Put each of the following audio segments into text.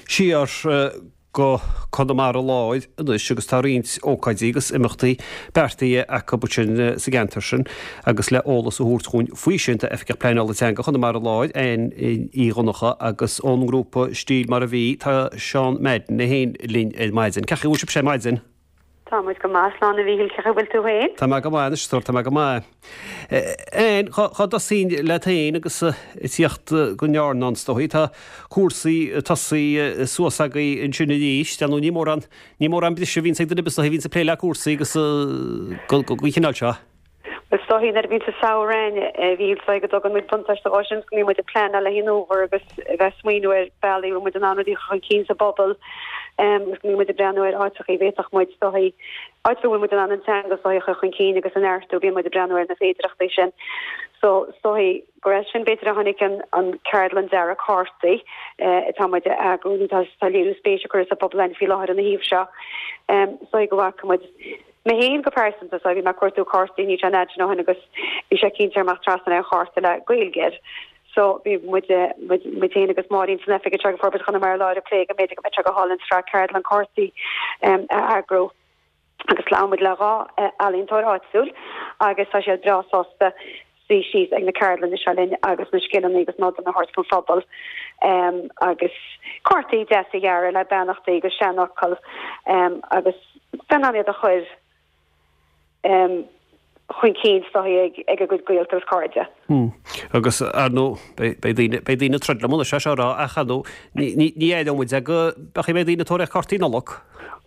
Siar go Conamara Láir anois agus tá roinnt ócáidí agus imeachtaí beartaithe acu ansin sa gceantar sin agus le eolas a thabhairt dhúinn faoi sin tá Oifigeach Pleanála Teanga Chonamara Láir, Ann Uí Dhonnchadha agus ón ngrúpa Stíl Mar a Bhí tá Seán Madden é féin linn ar maidin. Cén chaoi a bhfuil sibhse ar maidin? Tá muid go maith, slán a Mhíchíl, cén chaoi a bhfuil tú féin? Tá mé go maith anois, a stór, tá mé go maith. Ann, dhá dtosóinn leat féin agus ag tíocht go ndearna is dóigh, tá cúrsaí tosaithe suas agaibh ansin arís, dar ndóigh ní mórán, ní mórán briseadh a bhíonns ag duine ar bith is dóigh a bhíonns ag plé le cúrsaí agus den chineál seo. Is dóigh nuair a bhíonns an samhradh ann, a Mhíchíl, is dóigh go dtugann muid buntáiste dhó sin, go mbíonn muid ag pleanáil le haghaidh an fhómhair agus a bheith ag smaoineamh ar bealaí a bhfuil muid in ann rudaí a chur chun cinn sa bpobal agus go mbíonn muid ag breathnú ar áiteachaí a bhféadfadh muid, is dóigh, áit a bhfuil muid in ann an teanga is dóigh a chur chun cinn agus a neartú, bíonn muid ag breathnú ar na féidearthachtaí sin. So, is dóigh gur as sin b'fhéidir a tháinig an an ceardlann dearadh cártaí atá muid a eagrú nó tá tá léiriú spéise curtha sa bpobal ann faoi láthair ina thaobh seo. Is dóigh go bhfaca muid Mé féin go pearsanta, so bhí mé ag cuartú cártaí níl sé an fhad sin ó shin agus bhí sé cinnte amach trasna ar chárta le Gaeilge air. So bhí muid, muid, muid féin agus Máirín san oifig anseo ag Forbairt Chonamara Láir ag plé go mb'fhéidir go mbeadh sé go hálainn sraith ceardlann cártaí a eagrú agus labhair muid le 2 ealaíontóir áitiúil agus tá siad breá sásta suí síos ag na ceardlanna seo linn agus na scileanna agus nodanna a thabhairt don phobal agus cártaí deasa a dhearadh le beannachtaí agus seanfhocail agus bheith in ann iad a chur chun cinn is dóigh ag a gcuid gaolta agus cairde. Agus, ar ndóigh, beidh daoine, beidh daoine ag troid liom anois as seo a rá ach, ar ndóigh, ní, ní aireoidh muid é go mbeidh daoine ag tóraíocht cártaí Nollag.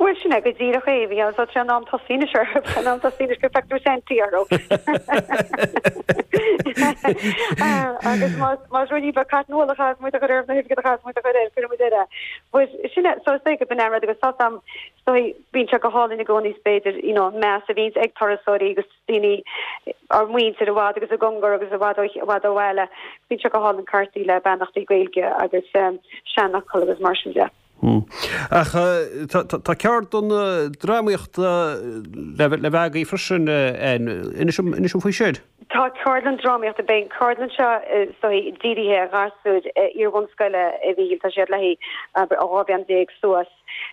Bhuel, sin é go díreach é, bhí ann so tré an am tosaí anois orthu, an am tosaí anois go feictear Santaí orthu. Agus más, más ruainnín beag cotton wool a chaithfeas muid a chur orthu, na hoifigigh a chaithfeas muid a chur air, cuirfidh muid air é. But sin é, so is dóigh go b'in é an rud agus tá am, is dóigh, bíonn sé go hálainn i gcónaí is b'fhéidir, you know, an meas a bhíonns ag turasóirí agus daoine, ár muintir i bhfad agus i gcóngar agus i bhfad ó, i bhfad ó bhaile, bíonn sé go hálainn cártaí le beannachtaí Gaeilge agus seanfhocail agus mar sin de. Ach tá ceardlann drámaíochta le bheith agaibh freisin, inis dom faoi sin. Tá ceardlann drámaíochta, beidh an ceardlann seo is dóigh dírithe ar ghasúir iar-bhunscoile a Mhíchíl, tá siad le haghaidh ó 12 bhliain suas.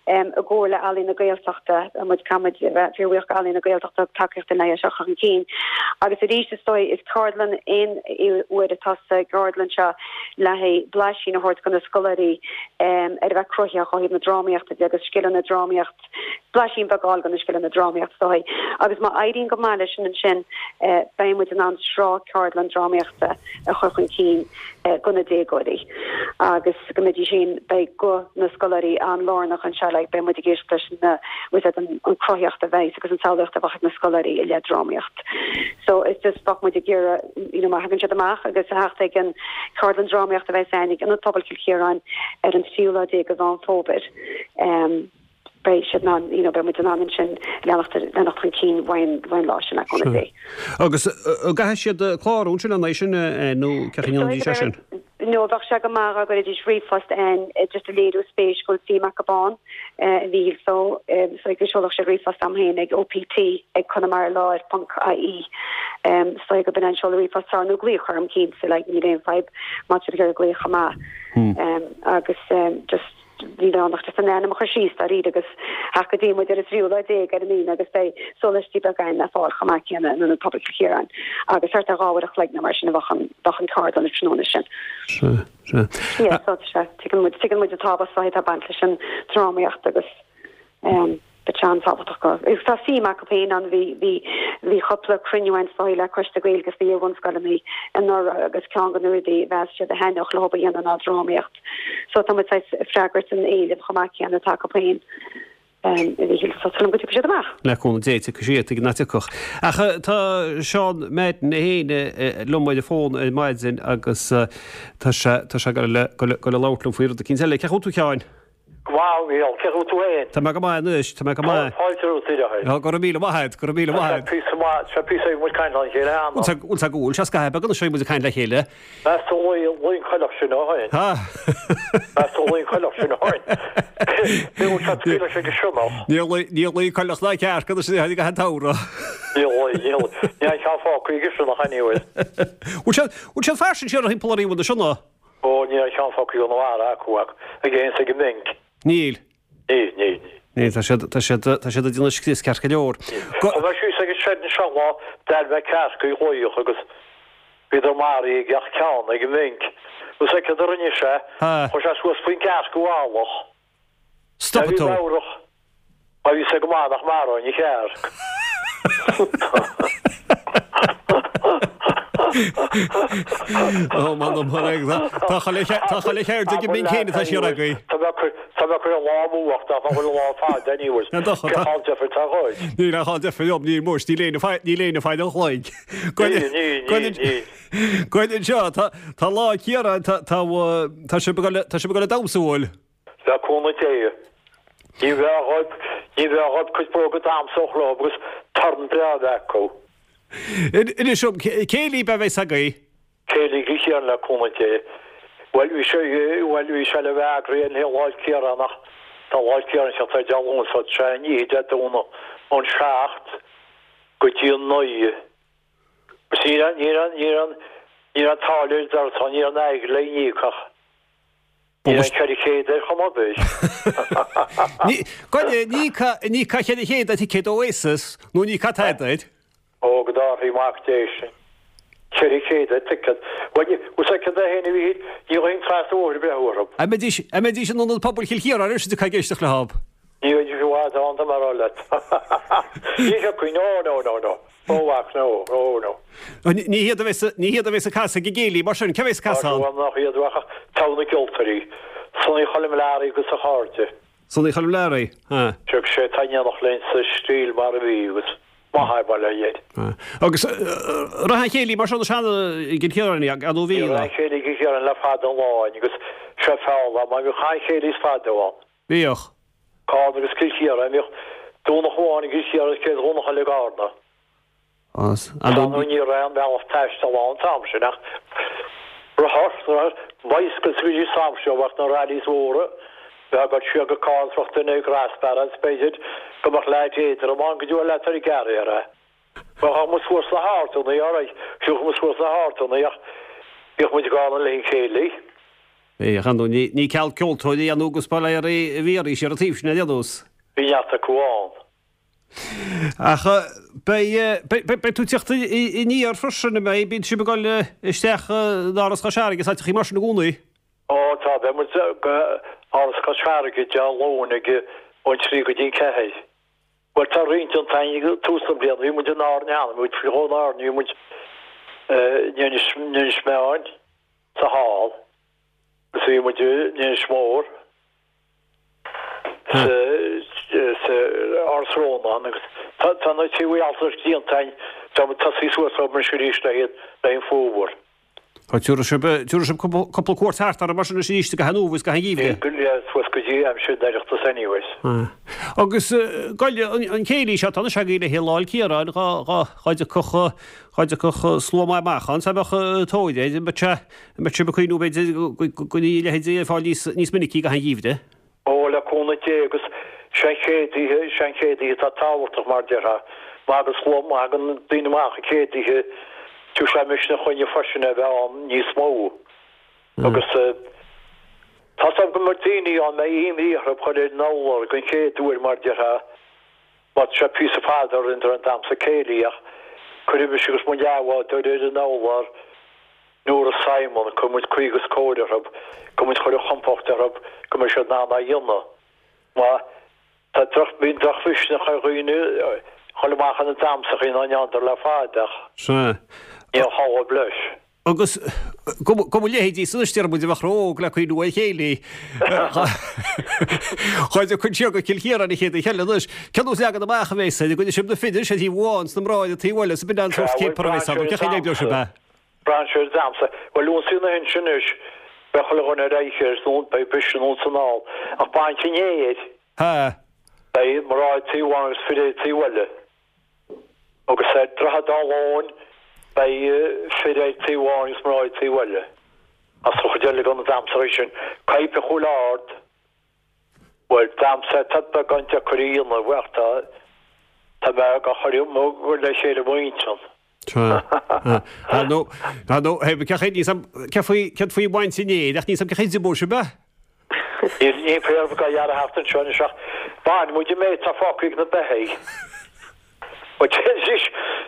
I gcomhar le Ealaín na Gaeltachta, tá muid caithfidh muid a bheith fíorbhuíoch d'Ealaín na Gaeltachta a thug tacaíocht dúinn le é seo a chur chun cinn. Agus arís is dóigh is ceardlann aon uair atá sa gceardlann seo le haghaidh blaisín a thabhairt do na scoláirí ar a bheith cruthaitheach ó thaobh na drámaíochta de agus scileanna drámaíocht, blaisín beag a fháil de na scileanna drámaíocht is dóigh. Agus má éiríonn go maith leis sin ansin beidh muid in ann sraith ceardlann drámaíochta a chur chun cinn do na déagóirí agus go mbeidís féin, beidh guth na scoláirí an-lárnach anseo, like beidh muid ag éisteacht leis na, bhfuil fhios agat, an chruthaíocht a bheidh agus an tsamhlaíocht a bheadh ag na scoláirí i leith drámaíocht. So it's just bheadh muid ag iarraidh you know má thagann siad amach agus a theacht ag an ceardlann drámaíochta a bheas againn ag Ionad Pobail Chill Chiaráin ar an tríú lá déag de Mheán Fómhair um beidh siad in ann you know beidh muid in ann ansin leanacht leanacht chun cinn uaidh an lá sin le cúnamh Dé. Agus an gcaithfidh siad clárú ansin an é sin nó cén chaoi a ndéanfaidís é sin? No, bheadh sé go maith dá gcuirfidís ríomhphost againn just ag léiriú spéis go bhfuil suim acu ann, a Mhíchíl so so go seolfadh siad ríomhphost a'm féin ag OPT ag conamaralár ponc ie so go b'in an seoladh ríomhphost atá nó glaoch orm cinnte like níl aon fadhb má tá siad ag iarraidh glaoch chomh maith agus just Níl ann ach just an ainm a chur síos dáiríre agus theacht go dtí muid ar an tríú lá déag ar an Aoine agus beidh sólaistí beaga againn le fáil chomh maith céanna in Ionad Pobail Chill Chiaráin agus thart ar 2 uair a chloig nó mar sin a bheadh an bheadh an ceardlann an tráthnóna sin. Sea, sea. Yeah, so tá sé, tuigeann muid, tuigeann muid an tábhacht atá ag baint leis an drámaíocht agus ehm Beidh sé an-tábhachtach go. Agus tá suim acu féin ann. Bhí, bhí, bhí cúpla cruinniú againn is dóigh le Coiste Gaeilge sna iar-bhunscoileanna anuraidh agus ceann de na rudaí a mheas siad a thaitneodh leo a dhéanamh ná drámaíocht. So tá muid saghas ag freagairt an éilimh chomh maith céanna atá acu féin a Mhíchíl. So tá súil agam go dtiocfaidh siad amach. Le cúnamh Dé tiocfaidh siad, tuige nach dtiocfadh. Ach tá Seán Madden é féin liom ar an bhfón ar maidin agus tá sé, tá sé ag dul le, dul le labhairt liom faoi rud eicínt eile. Cén chaoi a bhfuil tú a Sheáin? Go maith, a Mhíchíl. Cén chaoi a bhfuil tú féin? Tá mé go maith anois, tá mé go maith. Fáilte romhat ar aghaidh. Go raibh míle maith agat, go raibh míle maith agat. Tá sé píosa maith, tá sé píosa ag muid caint le chéile cheana. Bhfuil bhfuil sé go bhfuil sé scaitheamh beag anois ag muid ag caint le chéile. Meas tú luí, luí an coileach sin ó shin? Ha! Meas tú luí an coileach sin ó shin? Ní bhfuil sé scaoileadh sé go sionnach. Níor luigh, níor luigh coileach ná cearc anois a tháinig an t-samhradh. Níor luigh, níor luigh. Níl aon cheann fágtha ag sionnach anyway. Bhfuil sé, bhfuil siad fairsing siar thimpeall oraibh anois, an ea? Ó, níl aon cheann fágtha i gConamara acu ach ag éan 's ag an mhinc. Níl. Níl, níl, níl. Níl, tá siad, tá siad, tá siad ag déanamh scrios ceart go leor. Go. Chuaigh mé síos ag an seid anseo lá, d'airigh mé cearc ag glaoch agus bhíodar maraithe gach ceann ag an mhinc. Agus céard a rinne sé, chuir sé suas faoin gcearc i bhfalach. Stopfaidh tú. Meabhrach. Má bhí sé go maith nach maróinn an chearc. Ó, m'anam, tá chuile cheird ag an mbinn céanna atá siar agaibh. Tá mé ag cur an lá amú ach nach bhfuil an lá fada anyways. Cén chall deifir atá dhuit? Níl aon chall deifir liom, níl muis, níl éinne níl éinne ag fáil an chloig. Níl, níl, níl, níl. Goil anseo, tá Lá Ciaráin, tá sibh ag dul ag damhsa, an bhfuil? Le cúnamh Dé. Ní bheadh dhóibh, ní bheadh dhóibh cuid bróga damhsa a chur agus torann breá a bheith acu. Inis dom, céilí ab ea a bheas agaibh? Céilí Chill Chiaráin le cúnamh Dé. Bhuel, bhí sé, bhuel, bhí sé le bheith eagraithe le Lá 'le Ciaráin ach tá Lá 'le Ciaráin ag teacht ar Dé Luain so tá sé an oíche Dé Domhnaigh ón 7 go dtí an 9. Agus ní raibh, ní raibh, ní raibh, ní raibh an táille ar deireadh, ní raibh an airgead le n-íoc ach. Ní raibh 400 ar chuma ar bith. Goile, ní íocfá 400 ar thicéad Oasis, nó ní íocfá tada air. Ó, go dtabharfaidh Mac Dé sinn. 400 ar ticéad. Bhuel, bhfuil a fhios agat é féin a Mhíchíl, ní ghabhfainn trasna an bhóthair ag breith orthu. An mbeidís, an mbeidís in Ionad Pobail Chill Chiaráin anois ag éisteacht leo? Ní bheidís i bhfad ann, tá mé a rá leat. Ní thiocfainn, no, no, no, no. Ó, mhac, no, no, no. Ní hiad a bheas, ní hiad a bheas ag casadh ag an gcéilí, mar sin, cé a bheas ag casadh ann? Bhuel, nach iad, ach togha na gceoltóirí. Sonaí Choilm Learaí agus a chairde. Sonaí Choilm Learaí, ha. Seo sé atá in éineacht linn sa stíl mar a bhí agus maith é bail ó Dhia air. Agus rath an chéilí mar seo na seana i gCill Chiaráin, an nó bhí, Bhí rath an chéilí i gCill Chiaráin le fada an lá agus seo feall mar bhíodh an chéilí is fada ann. Bhíodh. Carna agus Cill Chiaráin. Bhíodh Domhnach amháin i gCill Chiaráin agus chéad Dhomhnach eile i gCarna. Ar ndóigh ní raibh aon bhealach taistil ann an t-am sin ach rothar, rothar, bicycles a bhí san am sin, bheadh na rallies mhóra, bheadh ag dul siar go Carna is bheadh duine ag grasspara agus b'fhéidir go mbeadh leaid éadrom ann go dtiocfadh leat ar gearradh air é. Bheadh muid suas sna hardanna, alright, thiocfadh muid suas sna hardanna ach bhíodh muid i gCarna le an chéilí. Bhíodh, ar ndóigh, ní ceal ceoltóirí ann agus bailéaraí a bhí arís ar an taobh sin ar aon nós. Bhí neart acu ann. Ach beidh, beidh tú ag teacht aniar freisin, an mbeidh? Bíonn sibh ag dul isteach in Áras Chois Fharraige is áiteachaí mar sin i gcónaí? Ó tá, beidh muid go Áras Chois Fharraige Dé Luain ag ón 3 go dtí an 4. Bhuel tá roinnt déanta againn ag tús na bliana, bhí muid in Árainn cheana, bhí muid faoi dhó in Árainn, bhí muid in Inis Meáin, sa hall agus bhí muid in Inis Mór sa Áras Rónáin agus tá na tithe altranais déanta againn, tá muid tosaithe suas orthu anois arís le haghaidh an fómhar. Tá, tabharfaidh sibh, tabharfaidh sibh cúpla cuairt thart orthu mar sin anois arís i gcaitheamh an fhómhair agus i gcaitheamh an gheimhridh. Go léir suas go dtí aimsir an Oireachtais anyways. Agus goil an céilí seo atá anois agaibh le haghaidh Lá 'le Ciaráin, dhá dtiocfadh Dhá dtiocfadh slua maith amach ann, dá mbeadh tóir air, an mbeadh sé, an mbeadh sibh ag cuimhniú b'fhéidir go mbeadh a leithéid ar fáil níos, níos minicí i gcaitheamh an gheimhridh? Ó, le cúnamh Dé, agus sé an chéad oíche, sé an chéad oíche atá tábhachtach mar déarfá. Má thagann slua, má thagann daoine amach an chéad oíche, tabharfaidh sé misneach dhúinne freisin a bheith ann níos mó. Agus tá 's agam go mbeidh daoine ann, mbeidh imní orthu dhul ar an urlár den chéad uair mar déarfá. Má tá sé píosa fada orainn don damhsa céilí ach cuirfidh mise agus mo leathbhádóir ar an urlár Nóra Simon, cuirfidh muid caoi agus cóir orthu, go muid chur an chompord orthu go mbeidh siad in ann á dhéanamh. Má tá droch, bíonn drochmhisneach ar dhaoine dhul amach ar na damhsachaí ná n'fheadar le fada ach Sea. ní aon chabhair leis. Agus go mo leithéidí san anois déarfaidh muid a bheadh ró-óg le cuimhniú ar chéilí. Dhá dtiocfainn siar go Cill Chiaráin an chéad oíche eile anois. Cén nós leagan amach a bheas air? An gcoinneoidh sibh na fir ar thaobh amháin 's na mná ar an taobh eile is b'in an sórt céapar a bheas ann. Cén chaoi a n-oibreoidh sibh é? Braitheann sé ar damhsa. Bhuel, ionsaí na hInse anois, beidh chuile dhuine ar aghaidh air, nó beidh bise anonn 's anall. Ach bainc an aeir. Ha. Beidh mná ar taobh amháin agus fir ar taobh eile. Agus ar Droichead Átha Lóin beidh fir ar taobh amháin agus mná ar taobh eile. As an chuid eile de na damhsachaí sin, Caidhp an Chúil Ard, bhuel, damhsa atá beagán deacair a dhéanamh ach tá, tá mé ag cur le chéile i m'intinn. Tá. Ar ndóigh, ar ndóigh, hé, cé chaoi, níl 's a'm cé faoi, céard faoi bhaint an fhéir, ach níl 's a'm cén chaoi a d'imeodh sibh é. Níl, níl féar dhá ghearradh thart anseo anois ach baineann muid an méid atá fágtha ag na beithígh. Bhuel, deiridís,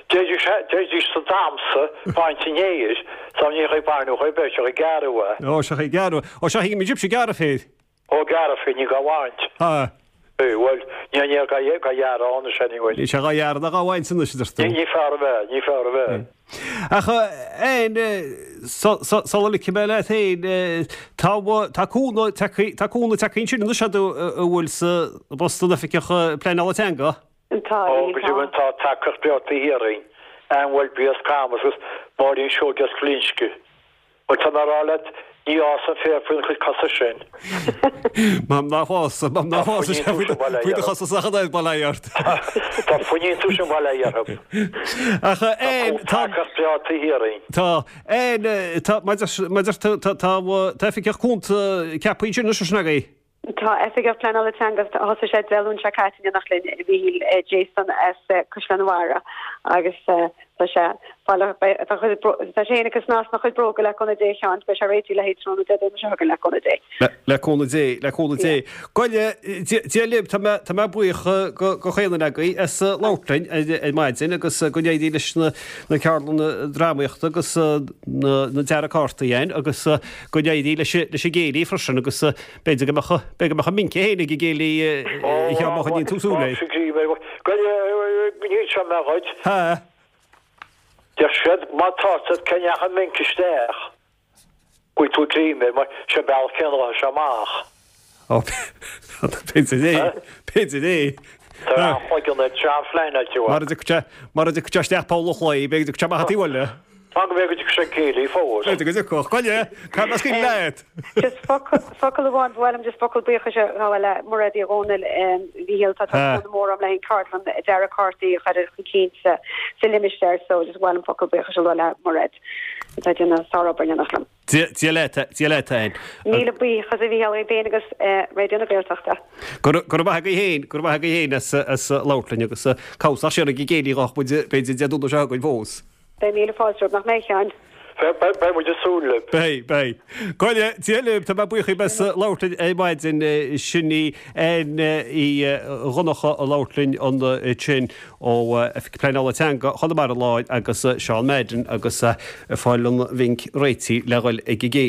deiridís, deiridís sa damhsa baint an fhéir, so ní chaoi baineadh ar bith, seo ag gearradh é. Ó, seo ag gearradh, ó, seo ag sibhse ag gearradh féir. Ó, gearradh féir, ní dhá bhaint. Ha. Bhuel, ní an fhéar dhá ghearradh ann anois anyway. Níl sé dhá ghearradh ná dhá bhaint anois, a deir tú. Ní fearr a bheith, ní fearr a bheith. Ach Ann, sula ligfidh mé leat féin, tá, tá cúnamh tagtha, tá cúnamh tagtha ansin anois agat a bhfuil sa bpost an Oifigeach Pleanála Teanga? Tá, Ó, go deimhin tá tacaíocht bhreá taobh thiar againn, Ann Welby as Camas agus Máirín Seoige as Glinsce. Bhuel, tá mé a rá leat, ní fhásann féar faoina chuid cosa sin. M'am nach bhfásann, m'am nach bhfásann sé faoi do chosa ach an oiread, bail ó Dhia ort. Tá fuinnín tú sin bail ó Dhia orthu. Ach, Ann, tá. Tá tacaíocht bhreá taobh thiar againn. Tá. Ann, tá, maidir, tá, tá, tá oifigeach cúnta ceaptha ansin anois, an ea? Tá Oifigeach Pleanála Teanga, thosaigh sé Dé Luain seo caite in éineacht linn, a Mhíchíl, Jason as Caisleán an Bharraigh agus tá sé tá tá sé féin ag snas na chuid bróga le cúnamh Dé a Sheáin, beidh sé réitithe le haghaidh tráthnóna Dé Domhnaigh seo chugainn le cúnamh Dé. Le cúnamh Dé, le cúnamh Dé. Ghoile, Dia libh, tá mé tá mé buíoch go go chaon duine agaibh as labhairt linn ar maidin agus go n-éirí leis na na ceardlanna drámaíochta agus na na dearadh cártaí Ann agus go n-éirí leis leis an gcéilí freisin agus B'fhéidir go mbeadh, b'fhéidir go mbeadh an mince féin ag an gcéilí a Sheáin má choinníonn tú súil air. Níl sé mé dhuit. Ha. Deir siad má tá siad cé ndeachaigh an mince isteach go bhfuil tú ag greim air mar sé an bealach céanna a ghabhfaidh sé amach. Ó, b'fhéidir é, b'fhéidir é. Tá an-chloigeann air, tá an-phleanáilte uaidh. Mara dtiocfaidh sé, mara dtiocfaidh sé isteach poll an chlaí, b'fhéidir go dtiocfaidh sé amach an taobh eile. Tá go b'fhéidir go dtiocfaidh sé ag céilí fós. B'fhéidir go dtiocfadh. Ghoile, caithfidh mé scaoileadh leat. Just focal, focal amháin, ba mhaith liom just focal buíochais a ghabháil le Mairéad Uí Dhomhnaill, a Mhíchíl, tá cúnamh mór agam le haghaidh ceardlann dearadh cártaí a chur chun cinn sa, sa limistéar so just ba mhaith liom focal buíochais a lua le Mairéad atá ag déanamh sárobair in éineacht liom. Dia leat, Dia leat, Ann. Míle buíochas a Mhíchíl dhaoibh féin agus Raidió na Gaeltachta. Go raibh maith agaibh féin, go raibh maith agaibh féin as labhairt linn agus cabhsach siar ag an gcéilí dhá muid b'fhéidir Dé Domhnaigh seo chugainn fós. Beidh míle fáilte romhat, nach mbeidh, a Sheáin? Beidh muid ag súil libh. Beidh, beidh. Ghoile, Dia libh, tá mé buíoch dhaoibh as labhairt linn ar maidin. Sin í Ann Uí Dhonncha ag labhairt linn ansin ó Oifig Pleanála Teanga Chonamara Láir agus Seán Madden agus ag fáil an mhinc réitithe le dhul ag an gcéilí.